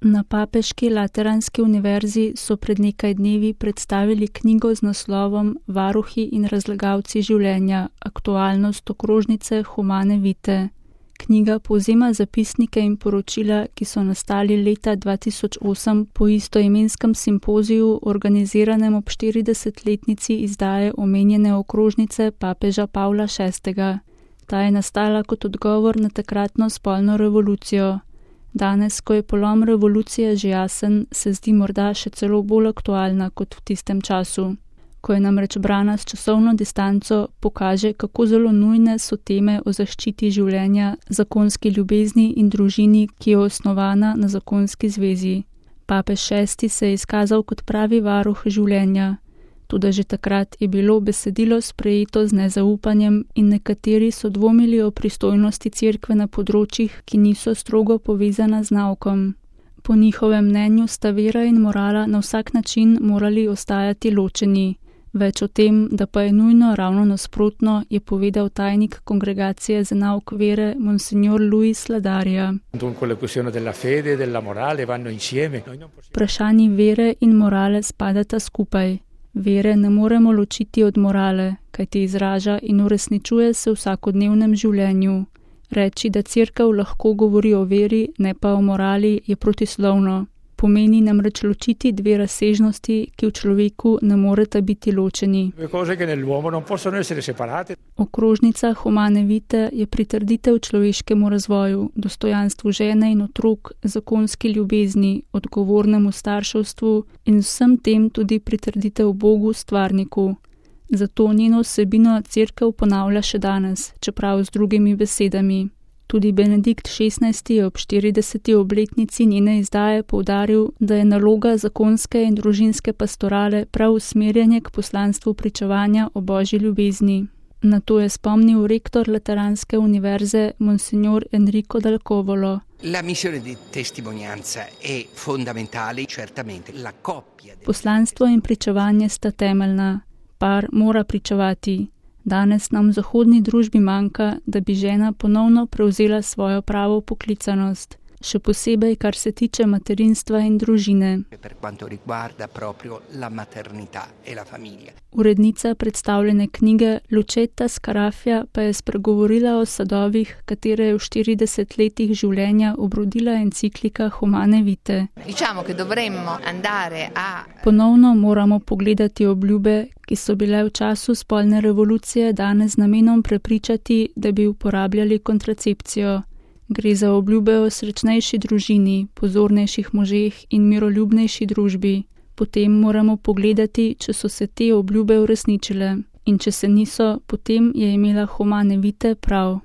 Na Papeški lateranski univerzi so pred nekaj dnevi predstavili knjigo z naslovom Varuhi in razlagalci življenja, aktualnost okrožnice Humane Vitae. Knjiga povzema zapisnike in poročila, ki so nastali leta 2008 po istoimenskem simpoziju, organiziranem ob 40-letnici izdaje omenjene okrožnice papeža Pavla VI. Ta je nastala kot odgovor na takratno spolno revolucijo. Danes, ko je polom revolucije že jasen, se zdi morda še celo bolj aktualna kot v tistem času. Ko je namreč brana s časovno distanco, pokaže, kako zelo nujne so teme o zaščiti življenja, zakonski ljubezni in družini, ki je osnovana na zakonski zvezi. Papež VI se je izkazal kot pravi varuh življenja. Toda že takrat je bilo besedilo sprejeto z nezaupanjem in nekateri so dvomili o pristojnosti cerkve na področjih, ki niso strogo povezana z naukom. Po njihovem mnenju sta vera in morala na vsak način morali ostajati ločeni. Več o tem, da pa je nujno ravno nasprotno, je povedal tajnik Kongregacije za nauk vere Monsignor Luis Ladaria. Vprašanji vere in morale spadata skupaj. Vere ne moremo ločiti od morale, kajti izraža in uresničuje se v vsakodnevnem življenju. Reči, da cerkev lahko govori o veri, ne pa o morali, je protislovno. Pomeni namreč ločiti dve razsežnosti, ki v človeku ne moreta biti ločeni. Okrožnica Humane Vitae je pritrditev človeškemu razvoju, dostojanstvu žene in otrok, zakonski ljubezni, odgovornemu starševstvu in vsem tem tudi pritrditev Bogu, stvarniku. Zato njeno vsebino cerkev ponavlja še danes, čeprav z drugimi besedami. Tudi Benedikt XVI je ob 40. obletnici njene izdaje poudaril, da je naloga zakonske in družinske pastorale prav usmerjanje k poslanstvu pričevanja o Božji ljubezni. Na to je spomnil rektor Lateranske univerze Monsignor Enrico Dal Covolo. Poslanstvo in pričevanje sta temeljna. Par mora pričevati. Danes nam v zahodni družbi manjka, da bi žena ponovno prevzela svojo pravo poklicanost, še posebej, kar se tiče materinstva in družine. Urednica predstavljene knjige Lucetta Scarafia pa je spregovorila o sadovih, katere je v 40 letih življenja obrodila enciklika Humane Vitae. Ponovno moramo pogledati obljube, ki so bile v času spolne revolucije dane z namenom prepričati, da bi uporabljali kontracepcijo. Gre za obljube o srečnejši družini, pozornejših možeh in miroljubnejši družbi. Potem moramo pogledati, če so se te obljube uresničile. In če se niso, potem je imela Humane Vitae prav.